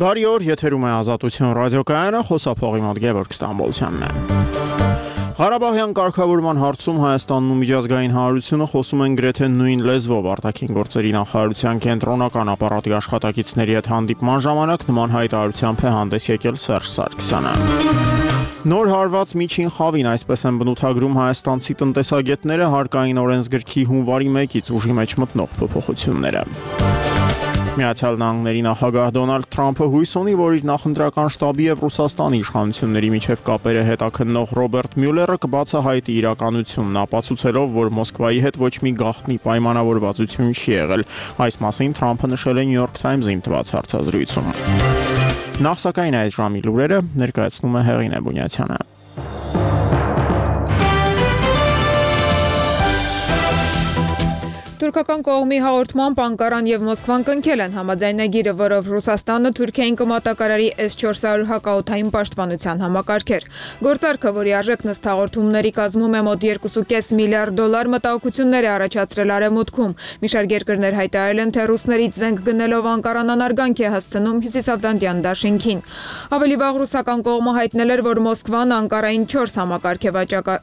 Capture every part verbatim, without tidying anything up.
Բարի օր, եթերում է Ազատություն ռադիոկայանը, խոսափողի մոտ Գևորգ Ստամբոլցյանն է։ Ղարաբաղյան կարգավորման հարցում Հայաստանն ու միջազգային հանրությունը խոսում են գրեթե նույն լեզվով։ Արտաքին գործերի նախարարության կենտրոնական ապարատի աշխատակիցների հետ հանդիպման ժամանակ նման հայտարարությամբ է հանդես եկել Սերժ Սարգսյանը։ Նոր հարված միջին խավին, այսպես են բնութագրում հայաստանցի տնտեսագետները, հարկային օրենսգրքի հունվարի մեկից ուժի մեջ մտնող փոփոխությունները։ Միացյալ Նահանգների նախագահ Դոնալդ Թրամփը հույս ունի, որ իր նախընտրական շտաբի եւ Ռուսաստանի իշխանությունների միջև կապերը հետաքննող Ռոբերտ Մյուլերը կբացահայտի իրականությունն, ապացուցելով, որ Մոսկվայի հետ ոչ մի գաղտնի պայմանավորվածություն չի եղել։ Այս մասին Թրամփը նշել է New York Times-ին տված հարցազրույցում։ Նախ սակայն այս ժամի լուրերը ներկայացնում է Հեղինե Բունյացյանը։ Թուրքական կողմի հաղորդմամբ Անկարան եւ Մոսկվան կնքել են համաձայնագիրը, որով Ռուսաստանը Թուրքիային կմատակարարի էս չորս հարյուր հակաօդային պաշտպանության համակարգեր։ Գործարքը, որի արժեքն ըստ հաղորդումների կազմում է մոտ երկու կόμma պենս միլիարդ դոլար, մտահոգություններ է առաջացրել Արևմուտքում։ Մի շարք երկրներ հայտարարել են, թե ռուսներից զենք գնելով Անկարան անարգանք է հասցնում Հյուսիսատլանտյան դաշինքին։ Ավելի վաղ ռուսական կողմը հայտնել էր, որ Մոսկվան Անկարային չորս համակարգ է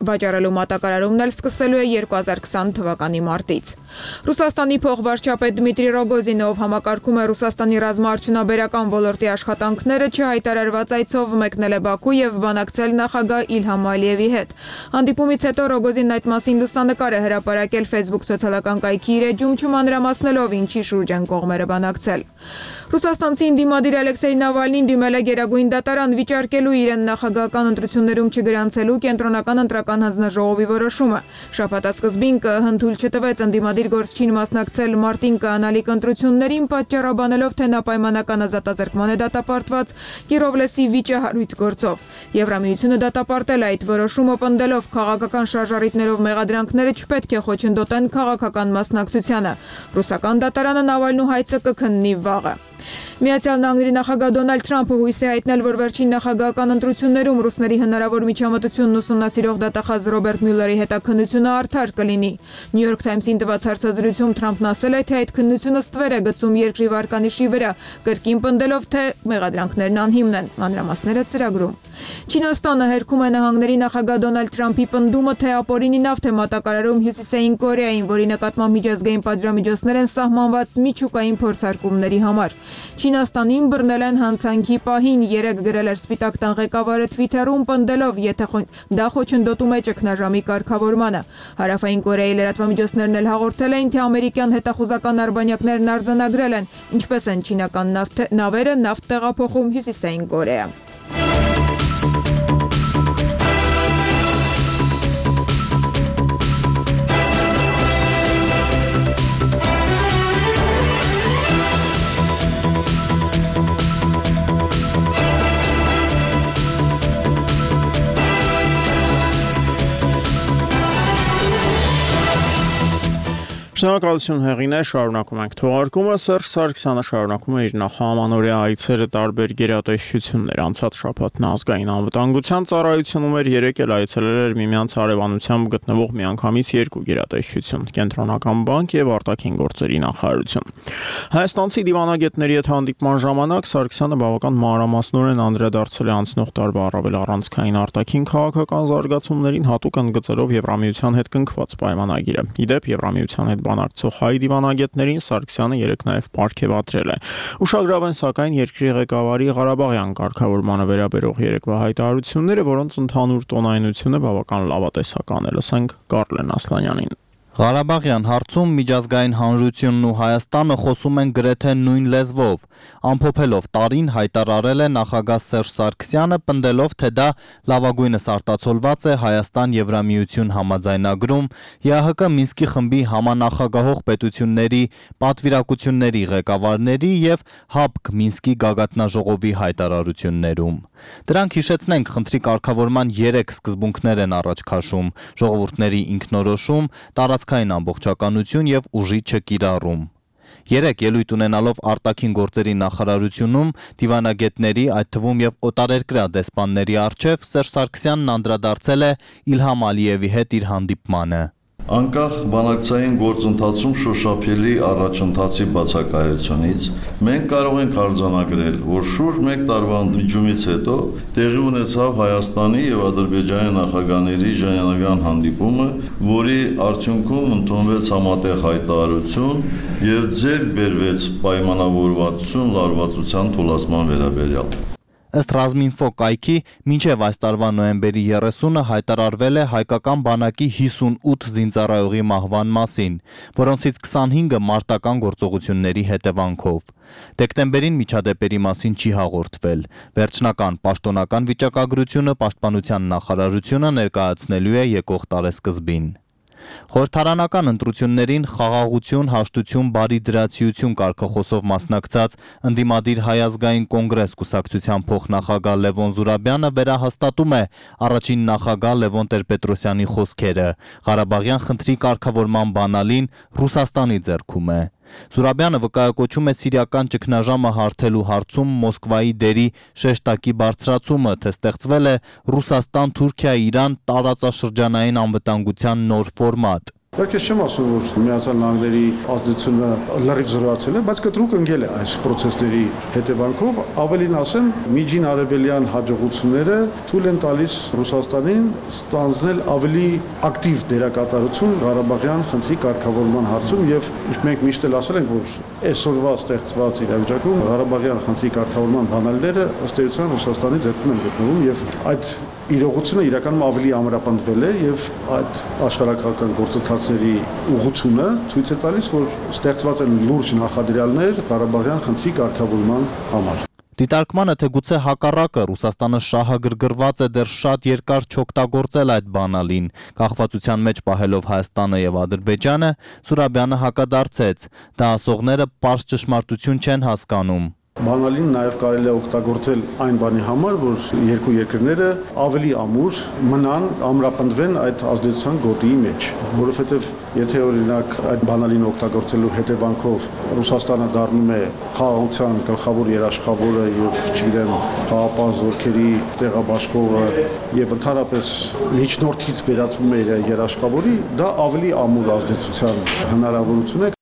վաճառելու մատակարարումն էլ սկսելու է երկու հազար քսան թվականի մարտից։ Ռուսաստանի փոխվարչապետ Դմիտրի Ռոգոզինով համակարգում է Ռուսաստանի ռազմաարդյունաբերական ոլորտի աշխատանքները, չհայտարարված այցով մեկնել է Բաքու եւ բանակցել նախագահ Իլհամ Ալիևի հետ։ Հանդիպումից հետո Ռոգոզինն այդ մասին լուսանկար է հրապարակել Facebook սոցիալական կայքի իր էջում, չմանրամասնելով ինչի շուրջ են կողմերը բանակցել։ Ռուսաստանցի ընդդիմադիր Ալեքսեյ Նավալնին դիմել է Գերագույն դատարան վիճարկելու իրեն նախագահական ընտրություններում չգրանցելու կենտրոնական ընտրական հանձնաժողովի որոշումը։ Շաբաթասկզբին ԿԸՀ-ն թույլ չտվեց ընդդիմադիր գործչին մասնակցել մարտին կանալիք ընտրություններին, պատճառաբանելով, թե նա պայմանական ազատազրկման է դատապարտված Կիրովլեսի վիճահարույց գործով։ Եվրամիությունը դատապարտել է այդ որոշումը, պնդելով քաղաքական շարժառիթներով մեղադրանքները չպետք է խոչընդոտեն քաղաքական մասնակցությանը։ Ռուսական դատարանը Նավալնու հայցը կքննի վաղը։ Միացյալ Նահանգների նախագահ Դոնալդ Թրամփը հույս է հայտնել, որ վերջին նախագահական ընտրություններում ռուսների հնարավոր միջամտությունն ուսումնասիրող դատախազ Ռոբերտ Մյուլերի հետաքննությունը արդար կլինի։ New York Times-ին տված հարցազրույցում Թրամփն ասել է, թե այդ քննությունը ստվեր է գցում երկրի վարկանիշի վրա, կրկին պնդելով, թե մեղադրանքներն անհիմն են։ Մանրամասները ծրագրում։ Չինաստանը հերքում է նահանգների նախագահ Դոնալդ Թրամփի պնդումը, թե ապօրինի նավթ է մատակարարում Հյուսիսային Կորեային, որի նկատմամբ միջազգային պատժամիջոցներ են սահմանված միջուկային փորձարկումների համար։ Չինաստանին բռնել են հանցանքի պահին, երեկ գրել էր Սպիտակ տան ղեկավարը Թվիթերում, պնդելով, եթե դա խոչընդոտում է ճգնաժամի կարգավորմանը։ Հարավային Կորեայի լրատվամիջոցներն էլ հաղորդել էին, թե ամերիկյան հետախուզական արբանյակներն արձանագրել են, ինչպես են չինական նավերը նավթ տեղափոխում Հյուսիսային Կորեա։ Շնորհակալություն Հեղինե, շարունակում ենք թողարկումը։ Սերժ Սարգսյանը շարունակում է իր նախամանորյա այցերը տարբեր գերատեսչություններ։ Անցած շաբաթն ազգային անվտանգության ծառայությունում էր, երեկ էլ այցելել էր միմյանց հարևանությամբ գտնվող միանգամից երկու գերատեսչություն՝ Կենտրոնական բանկ եւ Արտաքին գործերի նախարարություն։ Հայաստանցի դիվանագետների հետ հանդիպման ժամանակ Սարգսյանը բավական մանրամասնորեն անդրադարձել է անցնող տարվա առավել առանցքային արտաքին քաղաքական զարգացումներին, հատուկ ընդգծելով Եվրամիության հետ կնքված պայմանագիրը։ Իդեպ Եվրամիության հետ բանակցող հայ դիվանագետներին Սարգսյանը երեկ նաև պարգևատրել է։ Ուշագրավ են սակայն երկրի ղեկավարի Ղարաբաղյան կարգավորմանը վերաբերող երեկվա հայտարարությունները, որոնց ընդհանուր տոնայնությունը բավական լավատեսական է։ Լսենք Կարլեն Ասլանյանին։ Ղարաբաղյան հարցում միջազգային հանրությունն ու Հայաստանը խոսում են գրեթե նույն լեզվով։ Ամփոփելով տարին հայտարարել է նախագահ Սերժ Սարգսյանը, պնդելով, թե դա լավագույնս արտացոլված է Հայաստան-Եվրամիություն համաձայնագրում, ԵԱՀԿ Մինսկի խմբի համանախագահող պետությունների պատվիրակությունների ղեկավարների եւ ՀԱԲԿ Մինսկի գագաթնաժողովի հայտարարություններում։ Դրանք, հիշեցնենք, խնդրի կարգավորման երեք սկզբունքներ են առաջ քաշում՝ ժողովուրդների ինքնորոշում, տարածքային ամբողջականություն եւ ուժի չկիրառում։ Երեկ ելույթ ունենալով արտաքին գործերի նախարարությունում դիվանագետների, այդ թվում եւ օտարերկրյա դեսպանների առջև Սերժ Սարգսյանն անդրադարձել է Իլհամ Ալիևի հետ իր հանդիպմանը։ Անկախ բանակցային գործընթացում շոշափելի առաջընթացի բացակայությունից մենք կարող ենք արձանագրել, որ շուրջ մեկ տարվա ընդմիջումից հետո տեղի ունեցավ Հայաստանի եւ Ադրբեջանի նախագահների ժանյանական հանդիպումը, որի արդյունքում ընդունվեց համատեղ հայտարարություն եւ ձեռք բերվեց պայմանավորվածություն լարվածության թուլացման վերաբերյալ։ Ըստ Ռազմինֆո կայքի, մինչև այս տարվա նոյեմբերի երեսունը հայտարարվել է հայկական բանակի հիսունութ զինծառայողի մահվան մասին, որոնցից քսանհինգը մարտական գործողությունների հետևանքով։ Դեկտեմբերին միջադեպերի մասին չի հաղորդվել։ Վերջնական պաշտոնական վիճակագրությունը Պաշտպանության նախարարությունը ներկայացնելու է եկող տարեսկզբին։ Խորհրդարանական ընտրություններին խաղաղություն, հաշտություն, բարիդրացիություն կարգախոսով մասնակցած ընդդիմադիր Հայ ազգային կոնգրես կուսակցության փոխնախագահ Լևոն Զուրաբյանը վերահաստատում է առաջին նախագահ Լևոն Տեր-Պետրոսյանի խոսքերը։ Ղարաբաղյան խնդրի կարգավորման բանալին Ռուսաստանի ձեռքում է։ Զուրաբյանը վկայակոչում է սիրիական ճգնաժամը հարթելու հարցում Մոսկվայի դերի շեշտակի բարձրացումը, թե ստեղծվել է Ռուսաստան-Թուրքիա-Իրան տարածաշրջանային անվտանգության նոր ֆորմատ։ Դեռ ես չեմ ասում, որ Միացյալ Նահանգների ազդեցությունը լրիվ զրոյացել է, բայց կտրուկ ընկել է այս process-ների հետևանքով, ավելին ասեմ, միջին արևելյան հաջողությունները թույլ են տալիս Ռուսաստանին ստանձնել ավելի ակտիվ դերակատարություն Ղարաբաղյան խնդրի կարգավորման հարցում եւ մենք միշտ էլ ասել ենք, որ այսօրվա ստեղծված իրավիճակում Ղարաբաղյան խնդրի կարգավորման բանալիները ըստ էության Ռուսաստանի ձեռքում են գտնվում եւ այդ իրողությունը իրականում ավելի ամրապնդվել է եւ այդ աշխարհակական գործընթացների ուղղությունը ցույց է տալիս, որ ստեղծված են լուրջ նախադրյալներ Ղարաբաղյան խնդրի կարգավորման համար։ Դիտարկմանը թե գուցե հակառակը Ռուսաստանը շահագրգռված է դեռ շատ երկար չօգտագործել այդ բանալին, կախվածության մեջ պահելով Հայաստանը եւ Ադրբեջանը, Զուրաբյանը հակադարձեց, դա ասողները պարզ ճշմարտություն չեն հասկանում։ Բանալին նաև կարելի է օգտագործել այն բանի համար, որ երկու երկրները ավելի ամուր մնան, ամրապնդվեն այդ ազդեցության գոտիի մեջ, որովհետև եթե օրինակ այդ բանալին օգտագործելու հետևանքով Ռուսաստանը դառնում է խաղաղության գլխավոր երաշխավորը եւ, չգիտեմ, խաղապահ զորքերի տեղաբաշխողը եւ ընդհանրապես միջնորդից վերածվում է իր երաշխավորի, դա ավելի ամուր ազդեցության հնարավորություն է։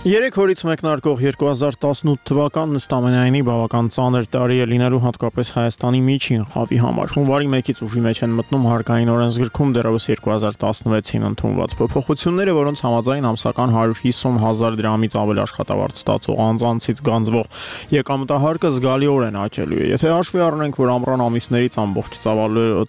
Երեք օրից մեկնարկող երկու հազար տասնութ թվականն ըստ ամենայնի բավական ծանր տարի է լինելու հատկապես Հայաստանի միջին խավի համար։ Հունվարի մեկից ուժի մեջ են մտնում հարկային օրենսգրքում դեռևս երկու հազար տասնվեցին ընդունված փոփոխությունները, որոնց համաձայն ամսական հարյուր հիսուն հազար դրամից ավել աշխատավարձ ստացող անձանցից գանձվող եկամտահարկը զգալիորեն աճելու է։ Եթե հաշվի առնենք, որ ամռան ամիսներից ամբողջ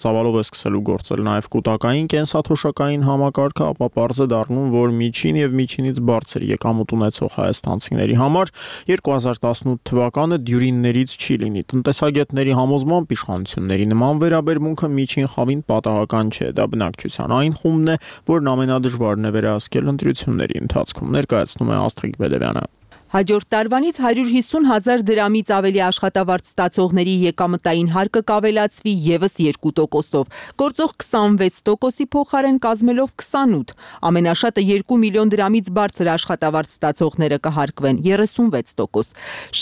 ծավալով է սկսելու գործել նաև կൂട്ടակային կենսաթոշակային համակարգը, ապա պարզ է դառնում, որ միջին եւ միջինից բարձր եկամուտ ունեցող հայաստանցիների համար երկու հազար տասնութ թվականը դյուրիններից չի լինի։ Տնտեսագետների համոզմամբ իշխանությունների նման վերաբերմունքը միջին խավին պատահական չէ, դա բնակչության այն խումբն է, որն ամենադժվարն է վերահսկել ընտրությունների ընթացքում, ներկայացնում է Աստղիկ Բելևյանը։ Հաջորդ տարվանից հարյուր հիսուն հազար դրամից ավելի աշխատավարձ ստացողների եկամտային հարկը կավելացվի ևս երկու տոկոսով, գործող քսանվեց տոկոսի փոխարեն կազմելով քսանութ, ամենաշատը երկու միլիոն դրամից բարձր աշխատավարձ ստացողները կհարկվեն երեսունվեց տոկոս,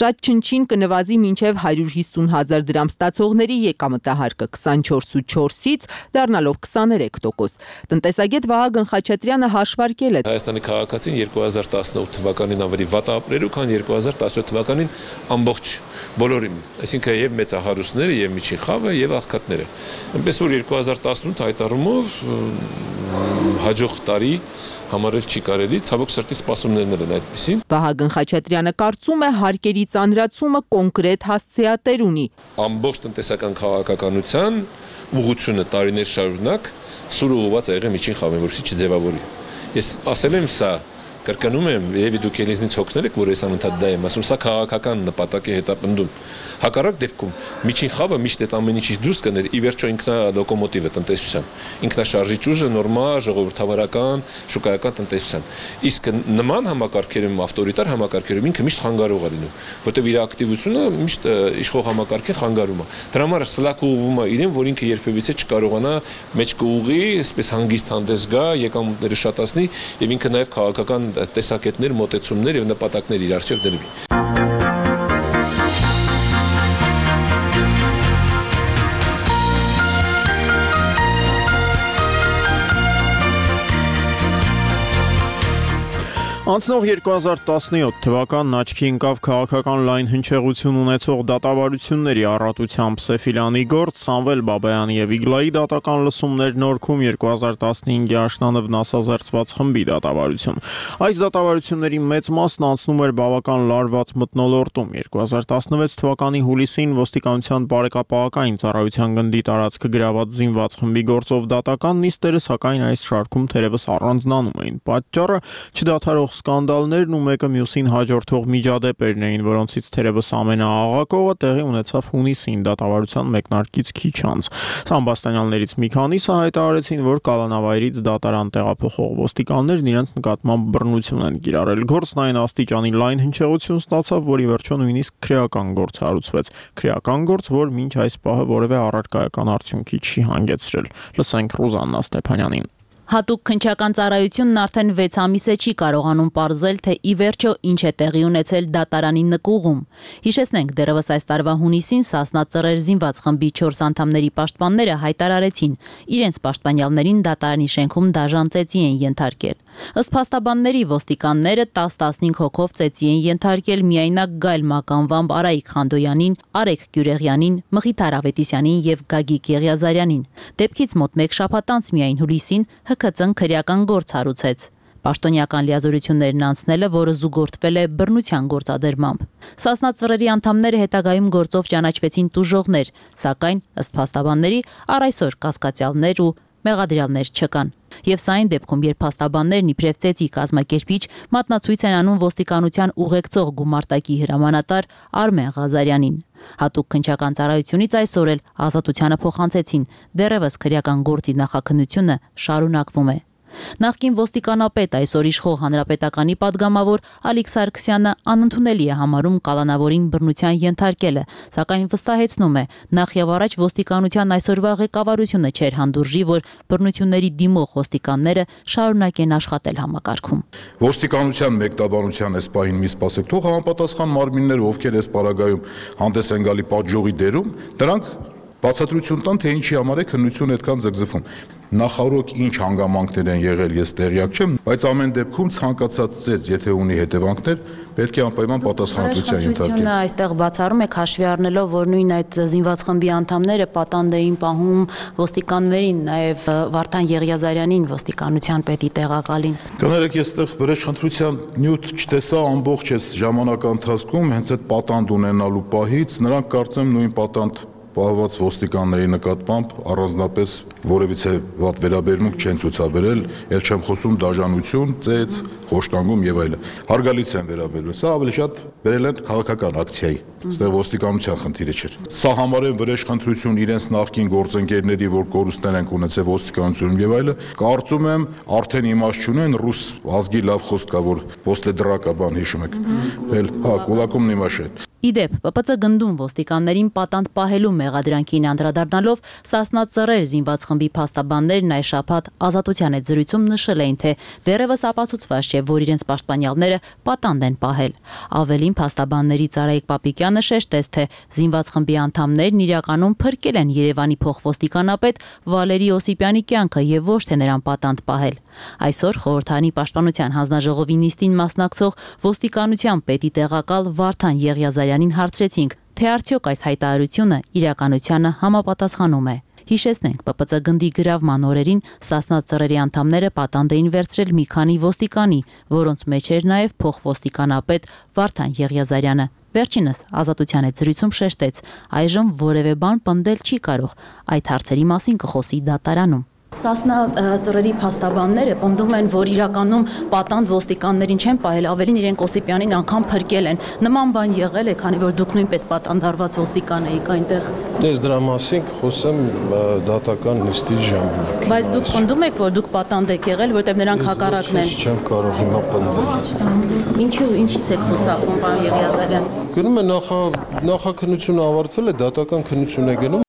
շատ չնչին կնվազի մինչև հարյուր հիսուն հազար դրամ ստացողների եկամտահարկը քսանչորսից դառնալով քսաներեք տոկոս։ Տնտեսագետ Վահագն Խաչատրյանը հաշվարկել է Հայաստանի քաղաքացին երկու հազար տասնութ թվականին ավելի վատ ապրել քան երկու հազար տասնյոթ թվականին ամբողջ բոլորին, այսինքն եւ մեծահարուստները, եւ միջին խավը, եւ աղքատները։ Այնպես որ երկու հազար տասնութ հայտարարումով հաջող տարի համարել չի կարելի, ցավոք սրտի սպասումներն են այդպեսին։ Վահագն Խաչատրյանը կարծում է հարկերի ծանրացումը կոնկրետ հասցեատեր ունի։ Ամբողջ տնտեսական քաղաքականության ուղղությունը տարիներ շարունակ սուր ուղղված է եղել միջին խավին, որովհետեւ չձևավորի։ Ես ասել եմ սա Կրկնում եմ, եւ դուք ելիզնից հոգնել եք, որ ես անընդհատ դա եմ ասում, սա քաղաքական նպատակ է հետապնդում։ Հակառակ դեպքում միջին խավը միշտ այդ ամեն ինչից դուրս կներ, ի վերջո ինքնա լոկոմոտիվը տնտեսության, ինքնաշարժիչ ուժը նորմալ ժողովրդավարական, շուկայական տնտեսության։ Իսկ նման համակարգերում, ավտորիտար համակարգերում ինքը միշտ խանգարող է լինում, որտեղ իր ակտիվությունը միշտ իշխող համակարգին խանգարում է։ Դրա համար սլաք ուղղվում է իրեն, որ ինքը երբևիցե չկարողանա մեջ կուղի, այսպես հանգիստ հանդես գա, եկամուտները շատացնի եւ ինքը նաեւ քաղաքական տեսակետներ, մոտեցումներ եւ նպատակներ իր առջեւ դրվի։ Անցնող երկու հազար տասնյոթ թվականն աչքի ընկավ քաղաքական լայն հնչեղություն ունեցող դատավարությունների առատությամբ Սեֆիլյանի գործ, Սամվել Բաբայանի եւ Իգլայի դատական լսումներ, Նորքում երկու հազար տասնհինգի աշնանը վնասազերծված խմբի դատավարություն։ Այս դատավարությունների մեծ մասն անցնում էր բավական լարված մթնոլորտում։ երկու հազար տասնվեց թվականի հուլիսին ոստիկանության բարեկապահական ծառայության գնդի տարածքը գրաված զինված խմբի գործով դատական նիստերը, սակայն այս շարքում թերևս առանձնանում էին։ Պատճառը չդադարող սկանդալներն ու մեկը մյուսին հաջորդող միջադեպերն էին, որոնցից թերևս ամենաաղաղակողը տեղի ունեցավ հունիսին դատավարության մեկնարկից քիչ անց։ Սամբաստանյաններից մի քանիսը հայտարարեցին, որ կալանավայրից դատարան տեղափոխող ոստիկաններն իրենց նկատմամբ բռնություն են կիրառել։ Գործն այն աստիճանի լայն հնչեղություն ստացավ, որի վերջո նույնիսկ քրեական գործ հարուցվեց։ Քրեական գործ, որ մինչ այս պահը որևէ առարկայական արդյունքի չի հանգեցրել։ Լսենք Ռուզաննա Ստեփանյանին։ Հատուկ քննչական ծառայությունն արդեն վեց ամիս է չի կարողանում պարզել, թե ի վերջո ինչ է տեղի ունեցել դատարանի նկուղում։ Հիշեցնենք, դեռևս այս տարվա հունիսին Սասնա Ծռեր զինված խմբի չորս անդամների պաշտպանները հայտարարեցին, իրենց պաշտպանյալներին դատարանի շենքում դաժան ծեծի են ենթարկել։ Ըստ փաստաբանների, ոստիկանները տասը-տասնհինգ հոգով ծեծի են ենթարկել միայնակ Գայլ Մականվամբ Արայիկ Խանդոյանին, Արեգ Գյուրեղյանին, Մխիթար Ավետիսյանին եւ Գագիկ Եղիազարյանին։ Դեպքից մոտ մեկ շաբաթ անց միայն հուլիսին Հ K C-ն քրեական գործ հարուցեց։ Պաշտոնյական լիազորություններն անցնելը, որը զուգորդվել է բռնության գործադրմամբ։ Սասնա Ծռերի անդամները հետագայում գործով ճանաչվեցին տուժողներ, սակայն ըստ փաստաբանների առ այսօր կասկածյալներ ու մեղադրյալներ չկան։ Եվ սա այն դեպքում, երբ փաստաբաններն իբրև ծեծի կազմակերպիչ մատնացույց են անում ոստիկանության ուղեկցող գումարտակի հրամանատար Արմեն Ղազարյանին։ Հատուկ քննչական ծառայությունից այսօր էլ ազատությանը փոխանցեցին, դեռևս քրեական գործի նախաքննությունը շարունակվում է։ Նախկին ոստիկանապետ, այսօր իշխող հանրապետականի падգամավոր Ալիկ Սարգսյանը անընդունելի է համարում կալանավորին բռնության ենթարկելը, սակայն վստահեցնում է, նախ եւ առաջ ոստիկանության այսօրվա ղեկավարությունը չէր հանդուրժի, որ բռնությունների դիմող ոստիկանները շարունակեն աշխատել համակարգում։ Ոստիկանության մեկտաբանության այս պահին մի սպասեք, թող համապատասխան մարմինները, ովքեր այս պարագայում հանդես են գալի պատժողի դերում, դրանք բացատրություն տան, թե ինչի համար է քննությունը այդքան ձգձգվում։ Նախարարոք ինչ հանգամանքներ են եղել, ես տեղյակ չեմ, բայց ամեն դեպքում ցանկացած ծեծ, եթե ունի հետևանքներ, պետք է անպայման պատասխանատվության ենթարկել։ Այստեղ բացառում եք հաշվի առնելով, որ նույն այդ զինված խմբի անդամները պատանդ էին պահում ոստիկաններին, նաև Վարդան Եղիազարյանին, ոստիկանության պետի տեղակալին։ Կներեք, ես այդտեղ վրեժխնդրության նյութ չտեսա ամբողջ այս ժամանակա ընթացքում, հենց այդ պատանդ ունենալու պահից նրանք կարծեմ նույն պատանդ պահված ոստիկանների նկատմամբ առանձնապես որևիցե վատ վերաբերմունք չեն ցուցաբերել, ել չեմ խոսում դաժանություն, ծեծ, խոշտանգում եւ այլն։ Հարգալից են վերաբերվել։ Սա ավելի շատ վերել են քաղաքական ակցիայի, այստեղ ոստիկանության խնդիրը չէր։ Սա համարեն վրեժխնդրություն իրենց նախկին գործընկերների, որ կորուստներ են ունեցել ոստիկանությունում եւ այլն, կարծում եմ արդեն իմաստ չունեն, ռուս ազգի լավ խոսք կա, որ «После драка» բան հիշում եք։ Էլ հա, կուլակումն իմաշետ։ Իդեպ, P P C գնդում ոստիկաններին պատանդ պահելու մեղադրանքին անդրադառնալով Սասնա Ծռեր զինված խմբի փաստաբաններն այս շաբաթ ազատության այդ զրույցում նշել էին, թե դեռևս ապացուցված չէ, որ իրենց պաշտպանյալները պատանդ են պահել։ Ավելին, փաստաբաններից Արայիկ Պապիկյանը շեշտեց, թե զինված խմբի անդամներն իրականում փրկել են Երևանի փոխվոստիկանապետ Վալերի Օսիպյանի կյանքը եւ ոչ թե նրան պատանդ պահել։ Այսօր խորհրդարանի պաշտպանության հանձնաժողովի նիստին մասնակցող ոստիկանության պետի տեղակալ Վարդան Եղիազարյանին հարցրեցինք, թե արդյոք այս հայտարարությունը իրականությանը համապատասխանում է։ Հիշեցնենք, P P C գնդի գրավման օրերին Սասնա Ծռերի անդամները պատանդ էին վերցրել մի քանի ոստիկանի, որոնց մեջ էր նաև փոխվոստիկանապետ Վարդան Եղիազարյանը։ Վերջինս ազատության այդ զրույցում շեշտեց, այժմ որևէ բան պնդել չի կարող, այդ հարցերի մասին կխոսի դատարանում։ Սասնա Ծռերի փաստաբանները պնդում են, որ իրականում պատանդ ոստիկաններին չեն պահել, ավելին իրենք Օսիպյանին անգամ փրկել են։ Նման բան եղել է, քանի որ դուք նույնպես պատանդարված ոստիկան եք այնտեղ։ Ես դրա մասին կխոսեմ դատական նիստի ժամանակ։ Բայց դուք պնդում եք, որ դուք պատանդ եք եղել, որտեղ նրանք հակառակն են։ Չեմ կարող հիմա պնդել։ Ինչու, ինչից եք խոսակում, պարոն Եղիազարյան։ Գնում է նախաքննությունը ավարտվել է, դատական քննություն է գնում։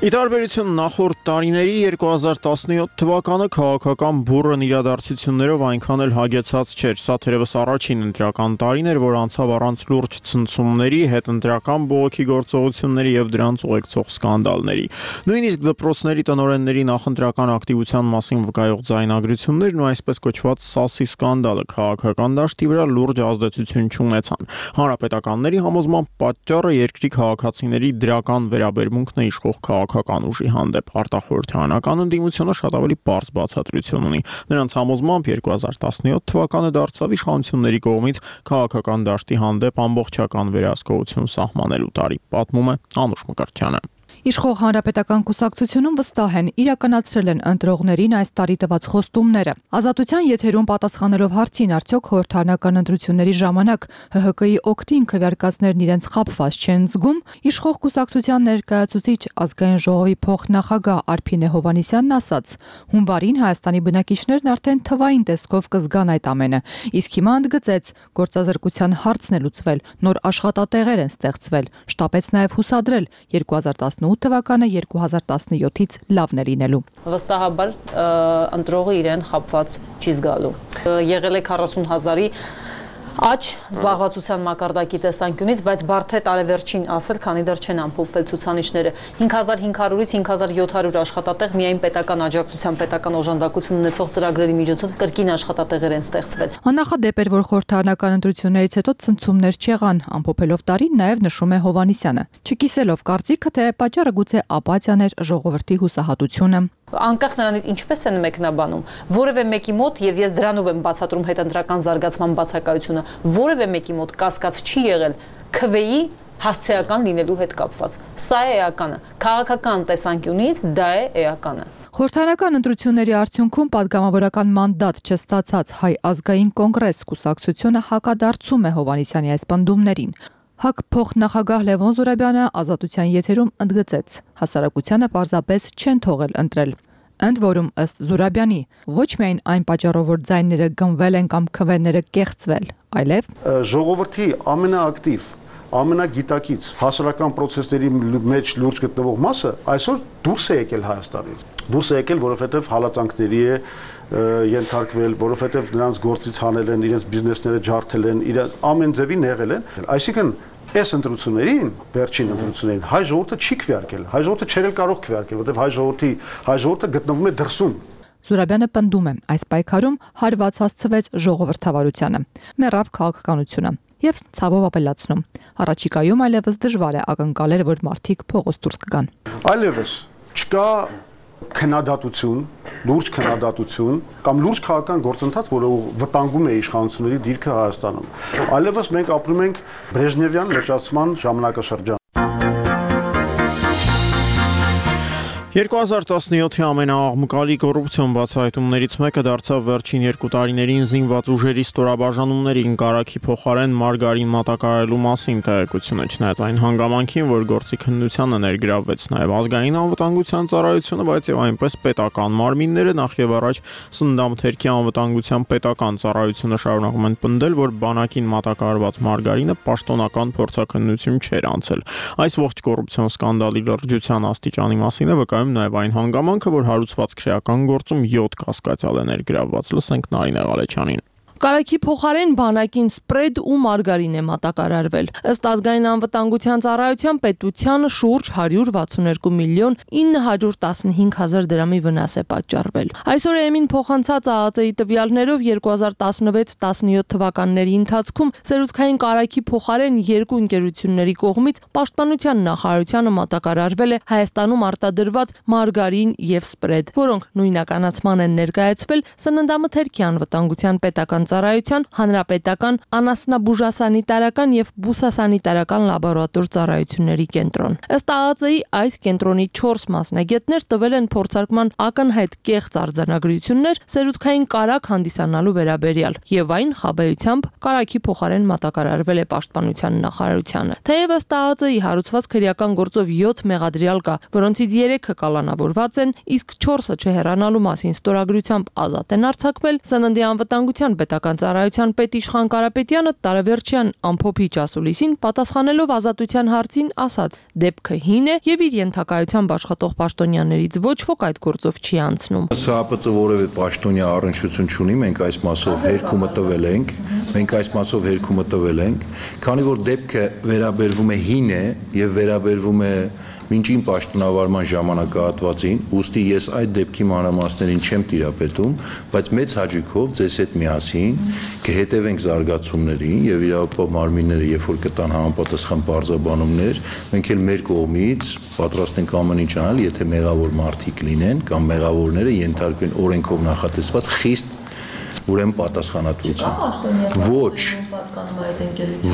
Ի տարբերություն նախորդ տարիների երկու հազար տասնյոթ թվականը քաղաքական բուռն իրադարձություններով այնքան էլ հագեցած չէր։ Սա թերևս առաջին ընտրական տարին էր, որ անցավ առանց լուրջ ցնցումների, հետընտրական բողոքի գործողությունների եւ դրանց ուղեկցող սկանդալների։ Նույնիսկ դպրոցների տնօրենների նախընտրական ակտիվության մասին վկայող ձայնագրություններն ու այսպես կոչված սասի սկանդալը քաղաքական դաշտի վրա լուրջ ազդեցություն չունեցան։ Հանրապետականների համոզմամբ պատճառը երկրի քաղաքացիների դրական վերաբերմունքն է իշխող քաղաքական ուժի հանդեպ։ Արտախորհրդարանական ընդդիմությունը շատ ավելի պարզ բացատրություն ունի։ Նրանց համոզմամբ երկու հազար տասնյոթ թվականը դարձավ իշխանությունների կողմից քաղաքական դաշտի հանդեպ ամբողջական վերահսկողություն սահմանելու տարի, պատմում է Անուշ Մկրտչյանը։ Իշխող հանրապետական կուսակցությունում վստահ են իրականացրել են ընտրողներին այս տարի տված խոստումները։ Ազատության եթերում պատասխանելով հարցին, արդյոք խորհրդարանական ընտրությունների ժամանակ Հ Հ Կ-ի օգտին քվեարկածներն իրենց խաբված չեն զգում, իշխող կուսակցության ներկայացուցիչ ազգային ժողովի փոխնախագահ Արփինե Հովհաննիսյանն ասաց. հունվարին Հայաստանի բնակիչներն արդեն թվային տեսքով կզգան այդ ամենը, իսկ հիմա ընդգծեց, գործազրկության հարցն է լուծվել, նոր աշխատատեղեր են ստեղծվել, շտապեց նաև հուսադրել երկու հազար տասնութ թվականը երկու հազար տասնյոթից լավն է լինելու։ Վստահաբար ընտրողը իրեն խաբված չի զգալու։ Եղել է քառասուն հազարի աճ զբաղվածության մակարդակի տեսանկյունից, բայց բարդ է տարեվերջին ասել, քանի դեռ չեն ամփոփվել ցուցանիշները։ հինգ հազար հինգ հարյուրից հինգ հազար յոթ հարյուր աշխատատեղ միայն պետական աջակցության, պետական օժանդակություն ունեցող ծրագրերի միջոցով կրկին աշխատատեղեր են ստեղծվել։ Աննախադեպ էր, որ խորհրդարանական ընտրություններից հետո ցնցումներ չեղան, ամփոփելով տարին նաև նշում է Հովհաննիսյանը, չկիսելով կարծիքը, թե պատճառը գուցե ապաթիան էր, ժողովրդի հուսահատությունը։ Անկախ նրանից ինչպես են մեկնաբանում, որևէ մեկի մոտ, եւ ես դրանով եմ բացատրում հետընտրական զարգացման բացակայությունը, որևէ մեկի մոտ կասկած չի եղել քվեի հասցեական լինելու հետ կապված։ Սա է էականը։ Քաղաքական տեսանկյունից դա է էականը։ Խորհրդարանական ընտրությունների արդյունքում падգամավորական մանդատ չստացած Հայ ազգային կոնգրես կուսակցությունը հակադարձում է Հովհաննիսյանի այս պնդումներին։ ՀԱԿ փոխնախագահ Լևոն Զուրաբյանը ազատության եթերում ընդգծեց. հասարակությանը պարզապես չեն թողել ընտրել։ Ընդ որում ըստ Զուրաբյանի, ոչ միայն այն պատճառով, որ ձայները գնվել են կամ քվեները կեղծվել, այլև ժողովրդի ամենաակտիվ, ամենագիտակից հասարակական process-ների մեջ լուրջ գտնվող մասը այսօր դուրս է եկել Հայաստանից։ Դուրս է եկել, որովհետև հալածանքների է ենթարկվել, որովհետև նրանց գործից հանել են, իրենց բիզնեսները ջարդել են, իրենց ամեն ձևին եղել են։ Այսինքն այս ընտրություններին, վերջին ընտրություններին հայ ժողովուրդը չի քվեարկել, հայ ժողովուրդը չէր կարող քվեարկել, որովհետև հայ ժողովրդի հայ ժողովուրդը գտնվում է դրսում։ Զուրաբյանը պնդում է, այս պայքարում հարված հասցվեց ժողովրդավարությանը, մեռավ քաղաքականությունը եւ ցավով ապելացնում։ Առաջիկայում այլևս դժվար է ակնկալել, որ մարդիկ փողոց դուրս կգան։ Այլևս չկա քննադատություն, լուրջ քննադատություն կամ լուրջ քաղաքական գործընթաց, որը վտանգում է իշխանությունների դիրքը Հայաստանում։ Այլևս մենք ապրում ենք Բրեժնևյան լճացման ժամանակաշրջան։ երկու հազար տասնյոթի ամենաաղմկալի կոռուպցիոն բացահայտումներից մեկը դարձավ վերջին երկու տարիներին զինված ուժերի ստորաբաժանումներին կարագի փոխարեն մարգարին մատակարարելու մասին տեղեկությունը, չնայած այն հանգամանքին, որ գործի քննությանը ներգրավվեց նաև ազգային անվտանգության ծառայությունը, բայց եւ այնպես պետական մարմինները, նախ եւ առաջ Սննդամթերքի անվտանգության պետական ծառայությունը շարունակում են պնդել, որ բանակին մատակարարված մարգարինը պաշտոնական փորձաքննություն չէր անցել։ Այս ողջ կոռուպցիոն սկանդալի լրջության աստիճանի մասին է վկայում նաև այն հանգամանքը, որ հարուցված քրեական գործում յոթ կասկածյալ է ներգրավված։ Լսենք Նարինե Ղալեչյանին։ Կարագի փոխարեն բանակին սպրեդ ու մարգարին է մատակարարվել։ Ըստ ազգային անվտանգության ծառայության պետությանը շուրջ հարյուր վաթսուններկու միլիոն ինը հարյուր տասնհինգ հազար դրամի վնաս է պատճառվել։ Այսօր Էմին փոխանցած ԱԱԾ-ի տվյալներով երկու հազար տասնվեց տասնյոթ թվականների ընթացքում սերուցքային կարագի փոխարեն երկու ընկերությունների կողմից պաշտպանության նախարարությանը մատակարարվել է Հայաստանում արտադրված մարգարին եւ սպրեդ, որոնք նույնականացման են ներկայացվել Սննդամթերքի անվտանգության պետական ծառայության, հանրապետական, անասնաբուժասանիտարական եւ բուսասանիտարական լաբորատոր ծառայությունների կենտրոն։ Ըստ ԱԱԾ-ի այս կենտրոնի չորս մասնագետներ տվել են փորձարկման ակնհայտ կեղծ արձանագրություններ սերուցքային կարագ հանդիսանալու վերաբերյալ եւ այն խաբեությամբ կարագի փոխարեն մատակարարվել է պաշտպանության նախարարությանը։ Թեև ըստ ԱԱԾ-ի հարուցված քրեական գործով յոթ մեղադրյալ կա, որոնցից երեքը կալանավորված են, իսկ չորսը չհեռանալու մասին ստորագրությամբ ազատ են արձակվել Սննդի անվտանգության Հանրապետական ծառայության պետ Իշխան Կարապետյանը տարեվերջյան ամփոփիչ ասուլիսին պատասխանելով Ազատության հարցին ասաց. դեպքը հին է եւ իր ենթակայությամբ աշխատող պաշտոնյաներից ոչ ոք այդ գործով չի անցնում։ ՍԱՊԾ որևէ պաշտոնյա առնչություն չունի, մենք այս մասով հերկումը տվել ենք, մենք այս մասով հերկումը տվել ենք, քանի որ դեպքը վերաբերվում է հին է եւ վերաբերվում է մինչին պաշտոնավարման ժամանակահատվածին, ուստի ես այդ դեպքի մանրամասներին չեմ տիրապետում, բայց մեծ հաճույքով ձեզ հետ միասին կհետևենք զարգացումներին եւ իրավապահ մարմինները, երբ որ կտան համապատասխան բարձաբանումներ, մենք էլ մեր կողմից պատրաստ ենք ամեն ինչ անել, եթե մեղավոր մարդիկ լինեն կամ մեղավորները ենթարկվեն օրենքով նախատեսված խիստ ուրեմն պատասխանատվություն։ Ոչ։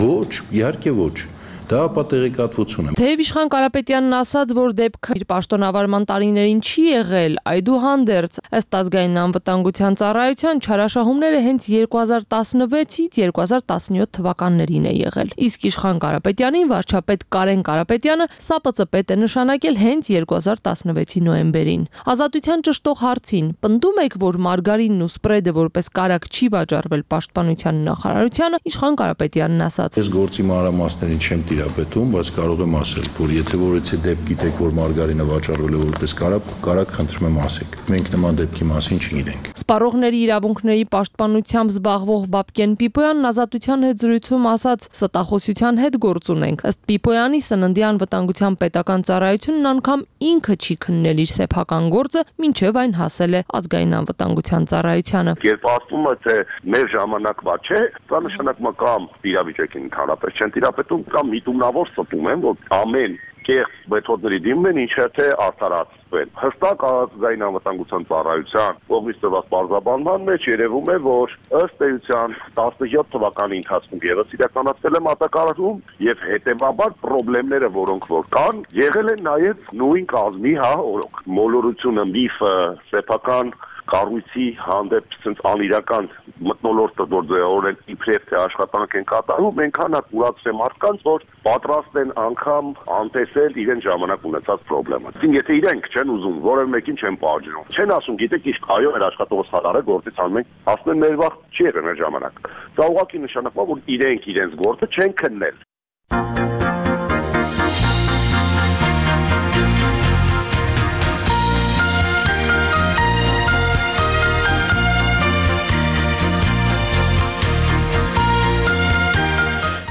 Ոչ, իհարկե ոչ։ Դա պատերեկատվություն է։ Թեև Իշխան Կարապետյանն ասաց, որ դեպքը իր պաշտոնավարման տարիներին չի եղել, այդուհանդերձ ըստ ազգային անվտանգության ծառայության չարաշահումները հենց երկու հազար տասնվեցից երկու հազար տասնյոթ թվականներին է եղել։ Իսկ Իշխան Կարապետյանին վարչապետ Կարեն Կարապետյանը ՍԱՊԾ պետ է նշանակել հենց երկու հազար տասնվեցի նոյեմբերին։ Ազատության ճշտող հարցին պնդում եք, որ մարգարինն ու սպրեդը որպես կարակ չի վաճառվել պաշտպանության նախարարությանը, Իշխան Կարապետյանն ասաց. Ես գործի մանրամասներին չեմ տիրապետում, բայց կարող եմ ասել, որ եթե որեցի դեպք գիտեք, որ մարգարինը վաճառվել է որպես կարակ, կարակ խնդրում եմ ասեք։ Մենք նման դեպքի մասին չգիտենք։ Սպառողների իրավունքների պաշտպանությամբ զբաղվող Բաբկեն Պիպոյանն Ազատության հետ զրույցում ասաց. ստախոսության հետ գործ ունենք։ Ըստ Պիպոյանի սննդի անվտանգության պետական ծառայությունն անգամ ինքը չի քննել իր սեփական գործը, մինչև այն հասել է ազգային անվտանգության ծառայությանը։ Երբ ասում է, թե մեր ժամանակվա չէ, դա նշանակում է կամ իրավիճակին ընդհանրապես չեն տիրապետում, կամ միտումնավոր ստում են, որ ամեն կեղծ մեթոդների դիմում են, ինչը թե արդարացվեն։ Հստակ ազգային անվտանգության ծառայության կողմից տված պարզաբանման մեջ երևում է, որ ըստ էության տասնյոթ թվականի ընթացքում ևս իրականացվել է մատակարարում եւ հետեւաբար խնդիրները, որոնք որ կան, եղել են նաեւ նույն կազմի, հա, օրոք մոլորությունը, միֆը, սեփական կառույցի հանդեպ ցենց անիրական մտնոլորտը որ օրեն իբրև թե աշխատանք են կատարում, այնքան է կուրացրել մարդկանց, որ պատրաստ են անգամ անտեսել իրեն ժամանակ ունեցած խնդրեմը։ Իսկ եթե իրենք չեն ուզում, որևէ մեկին չեն պահանջում, չեն ասում, գիտեք, իսկ այո, մեր աշխատողը սխալարը գործից անում ենք, ասում են մեր վաղ չի եղել մեր ժամանակ։ Դա ուղղակի նշանակում է, որ իրենք իրենց գործը չեն քննել։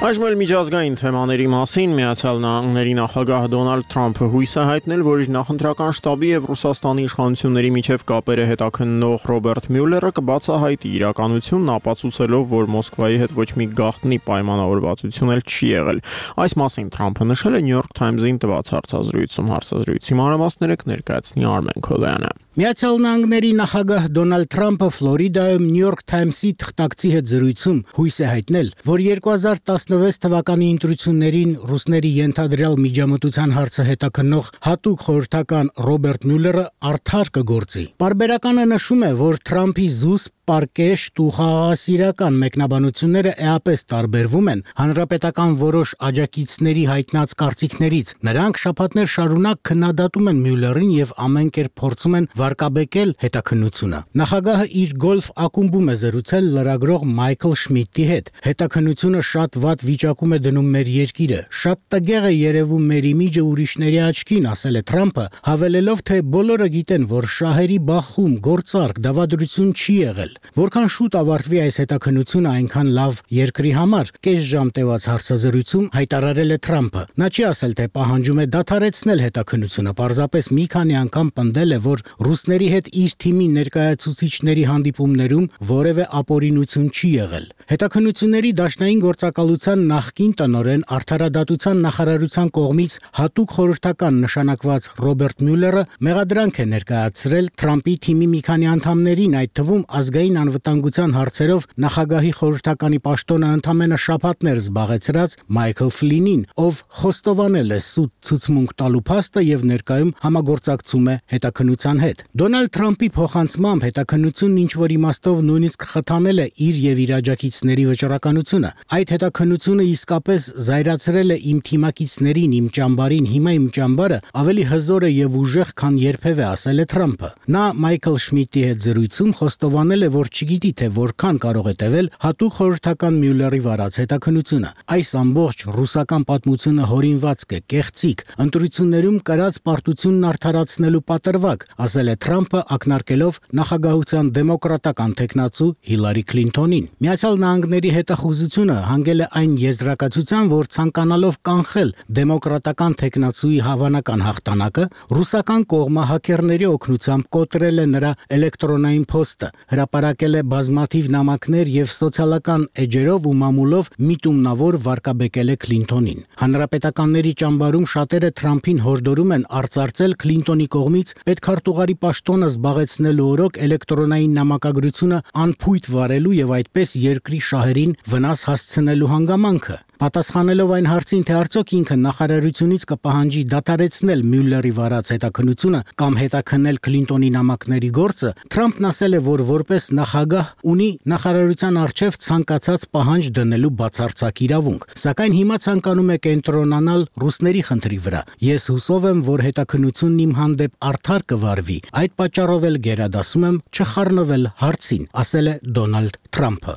Այժմ էլ միջազգային թեմաների մասին Միացյալ Նահանգների նախագահ Դոնալդ Թրամփը հույս է հայտնել, որ իր նախընտրական շտաբի եւ Ռուսաստանի իշխանությունների միջև կապերը հետաքննող Ռոբերտ Մյուլլերը կբացահայտի իրականությունն, ապացուցելով, որ Մոսկվայի հետ ոչ մի գաղտնի պայմանավորվածություն էլ չի եղել։ Այս մասին Թրամփը նշել է New York Times-ին տված հարցազրույցում։ Հարցազրույցի մանրամասները կներկայացնի Արմեն Քոլյանը։ Միացյալ Նահանգների նախագահ Դոնալդ Թրամփը Ֆլորիդայում New York Times-ի թղթակցի հետ զրույցում հույս է հայտնել, որ երկու հազար տասնվեց թվականի ընտրություններին ռուսների ենթադրյալ միջամտության հարցը հետաքննող հատուկ խորհրդական Ռոբերտ Մյուլլերը արդար կգործի։ Պարբերականը նշում է, որ Թրամփի զուսպ պարկեշտ ու խաղաղասիրական մեկնաբանությունները էապես տարբերվում են հանրապետական որոշ աջակիցների հայտնած կարծիքներից։ Նրանք շաբաթներ շարունակ քննադատում են Մյուլլերին եւ ամեն կերպ փորձում են վարկաբեկել հետաքննությունը։ Նախագահը իր գոլֆ ակումբում է զրուցել լրագրող Մայքլ Շմիդտի հետ։ Հետաքննությունը շատ վատ վիճակում է դնում մեր երկիրը։ Շատ տգեղ է երևում մեր իմիջը ուրիշների աչքին, ասել է Թրամփը, հավելելով, թե բոլորը գիտեն, որ շահերի բախում, գործարք, դավադրություն չի եղել։ Որքան շուտ ավարտվի այս հետաքննությունը, այնքան լավ երկրի համար, կես ժամ տևած հարցազրույցում հայտարարել է Թրամփը։ Նա չի ասել, թե պահանջում է դադարեցնել հետաքննությունը, պարզապես մի քանի անգամ պնդել է, որ ռուսների հետ իր թիմի ներկայացուցիչների հանդիպումներում որևէ ապօրինություն չի եղել։ Հետաքննությունների դաշնային գործակալության նախկին տնօրեն Արդարադատության նախարարության կողմից հատուկ խորհրդական նշանակված Ռոբերտ Մյուլլերը մեղադրանք է ներկայացրել Թրամփի թիմի մի քանի անդամներին, այդ թվում ազգային անվտանգության հարցերով նախագահի խորհրդականի պաշտոնը ընդամենը շաբաթներ զբաղեցրած Մայքլ Ֆլինին, ով խոստովանել է սուտ ցուցմունք տալու փաստը եւ ներկայում համագործակցում է հետաքննության հետ։ Դոնալդ Թրամփի փոխանցմամբ հետաքննությունն ինչ որ իմաստով նույնիսկ խթանել է իր եւ իր աջակիցների վճռականությունը։ Այդ հետաքննությունը իսկապես զայրացրել է իմ թիմակիցներին, իմ ճամբարին, հիմա իմ ճամբարը ավելի հզոր է եւ ուժեղ, քան երբևէ, ասել է Թրամփը։ Նա Մայքլ Շմիդտի հետ զրույցում խոստովանել է, որ չգիտի, թե որքան կարող է տևել հատուկ խորհրդական Մյուլլերի վարած հետաքննությունը։ Այս ամբողջ ռուսական պատմությունը հորինված է կեղծիք, ընտրություններում կրած պարտությունն արդարացնելու պատրվակ, ասել է Թրամփը, ակնարկելով նախագահության դեմոկրատական թեկնածու Հիլարի Քլինթոնին։ Միացյալ Նահանգների հետախուզությունը հանգել է այն եզրակացության, որ ցանկանալով կանխել դեմոկրատական թեկնածուի հավանական հաղթանակը, ռուսական կողմը հաքերների օգնությամբ կոտրել է նրա էլեկտրոնային փոստը, հրապարակել է բազմաթիվ նամակներ եւ սոցիալական էջերով ու մամուլով միտումնավոր վարկաբեկել է Քլինթոնին։ Հանրապետականների ճամբարում շատերը Թրամփին հորդորում են արծարծել Քլինթոնի կողմից պետքարտուղարի պաշտոնը զբաղեցնելու օրոք էլեկտրոնային նամակագրությունը անփույթ վարելու եւ այդպես երկրի շահերին վնաս հասցնելու հանգամանքը։ Պատասխանելով այն հարցին, թե արդյոք ինքը նախարարությունից կպահանջի դադարեցնել Մյուլլերի վարած հետաքննությունը կամ հետաքննել Քլինտոնի նամակների գործը, Թրամփն ասել է, որ որպես նախագահ ունի նախարարության առջև ցանկացած պահանջ դնելու բացարձակ իրավունք, սակայն հիմա ցանկանում է կենտրոնանալ ռուսների խնդրի վրա։ Ես հուսով եմ, որ հետաքննությունն իմ հանդեպ արդար կվարվի, այդ պատճառով էլ գերադասում եմ չխառնվել հարցին, ասել է Դոնալդ Թրամփը։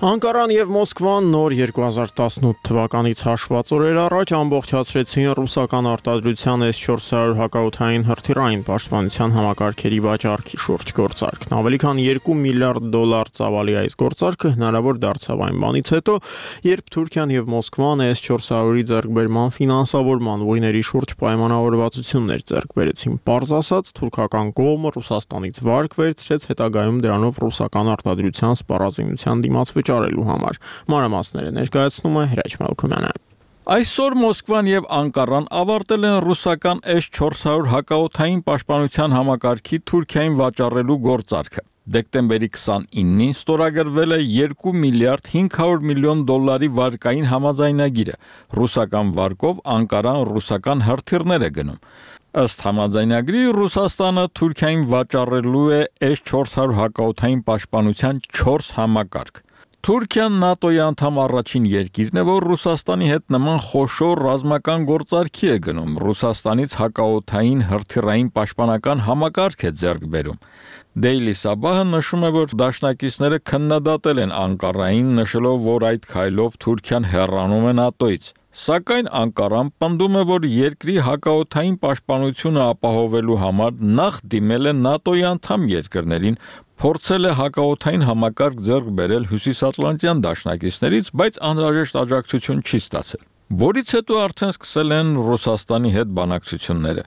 Անկարան եւ Մոսկվան նոր երկու հազար տասնութ թվականից հաշված օրեր առաջ ամբողջացրեցին ռուսական արտադրության էս չորս հարյուր հակաօդային հրթիռային պաշտպանության համակարգերի վաճառքի շուրջ գործարքն։ Ավելի քան երկու միլիարդ դոլար ծավալի այս գործարքը հնարավոր դարձավ այն բանից հետո, երբ Թուրքիան եւ Մոսկվան էս չորս հարյուրի ձեռքբերման ֆինանսավորման ուղիների շուրջ պայմանավորվածություններ ձեռք բերեցին։ Պարզ ասած, թուրքական կողմը Ռուսաստանից վարկ վերցրեց հետագայում դրանով ռուսական արտադրության սպառազինության դիմաց վճարելու համար։ Մանրամասները ներկայացնում է Հրաչ Մելքումյանը։ Այսօր Մոսկվան եւ Անկարան ավարտել են ռուսական էս չորս հարյուր հակաօդային պաշտպանության համակարգի Թուրքիային վաճառելու գործարքը։ Դեկտեմբերի քսանինին ստորագրվել է երկու միլիարդ հինգ հարյուր միլիոն դոլարի վարկային համաձայնագիրը։ Ռուսական վարկով Անկարան ռուսական հրթիռներ է գնում։ Ըստ համաձայնագրի Ռուսաստանը Թուրքիային վաճառելու է էս չորս հարյուր հակաօդային պաշտպանության չորս համակարգ։ Թուրքիան ՆԱՏՕ-ի անդամ առաջին երկիրն է, որ Ռուսաստանի հետ նման խոշոր ռազմական գործարքի է գնում։ Ռուսաստանից հակաօդային հրթիռային պաշտպանական համակարգ է ձեռք բերում։ Daily Sabah-ը նշում է, որ դաշնակիցները քննադատել են Անկարային, նշելով, որ այդ քայլով Թուրքիան հեռանում է ՆԱՏՕ-ից։ Սակայն Անկարան պնդում է, որ երկրի հակաօդային պաշտպանությունը ապահովելու համար նախ դիմել է ՆԱՏՕ-ի անդամ երկրներին, փորձել է հակաօդային համակարգ ձեռք բերել հյուսիսատլանտյան դաշնակիցներից, բայց անհրաժեշտ աջակցություն չի ստացել։ Որից հետո արդեն սկսել են Ռուսաստանի հետ բանակցությունները։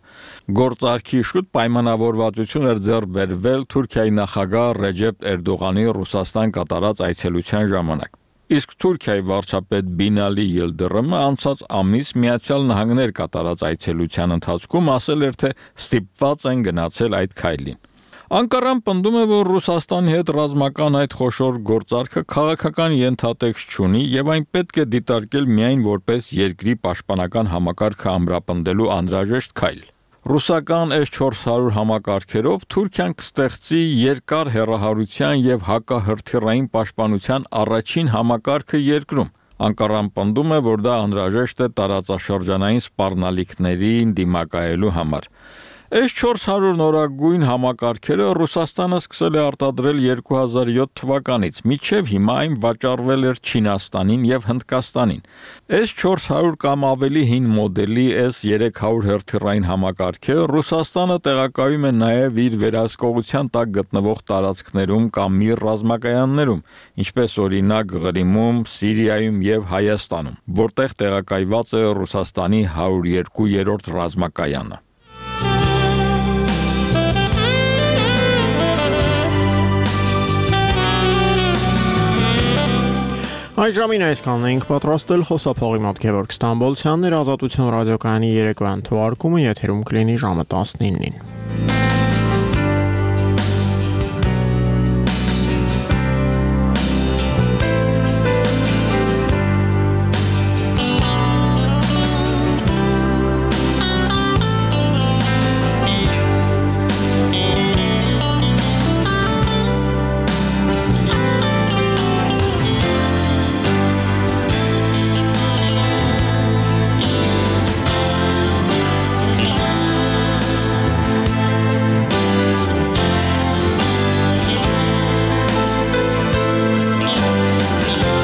Գործարքի շուտ պայմանավորվածություն էր ձեռք բերվել Թուրքիայի նախագահ Ռեջեփ Էրդողանի Ռուսաստան կատարած այցելության ժամանակ։ Իսկ Թուրքիայի վարչապետ Բինալի Յիլդիրիմը անցած ամիս Միացյալ Նահանգներ կատարած այցելության ընթացքում ասել էր, թե ստիպված են գնացել այդ քայլին։ Անկարան պնդում է, որ Ռուսաստանի հետ ռազմական այդ խոշոր գործարքը քաղաքական ենթատեքստ չունի եւ այն պետք է դիտարկել միայն որպես երկրի պաշտպանական համակարգը ամրապնդելու անհրաժեշտ քայլ։ Ռուսական էս չորս հարյուր համակարգերով Թուրքիան կստեղծի երկար հեռահարության եւ հակահրթիռային պաշտպանության առաջին համակարգը երկրում։ Անկարան պնդում է, որ դա անհրաժեշտ է տարածաշրջանային սպառնալիքներին դիմակայելու համար։ էս չորս հարյուր նորագույն համակարգերը Ռուսաստանը սկսել է արտադրել երկու հազար յոթ թվականից, մինչև հիմա այն վաճառվել էր Չինաստանին եւ Հնդկաստանին։ էս չորս հարյուր կամ ավելի հին մոդելի էս երեք հարյուր հրթիռային համակարգը Ռուսաստանը տեղակայում է նաեւ իր վերահսկողության տակ գտնվող տարածքներում կամ իր ռազմակայաններում, ինչպես օրինակ Ղրիմում, Սիրիայում եւ Հայաստանում, որտեղ տեղակայված է Ռուսաստանի հարյուր երկու-րդ ռազմակայանը։ Այս ժամին այսքանն էինք պատրաստել, խոսափողի մոտ Գևորգ Ստամբոլցյանն էր, Ազատություն ռադիոկայանի երեկոյան թողարկումը եթերում կլինի ժամը տասնինին։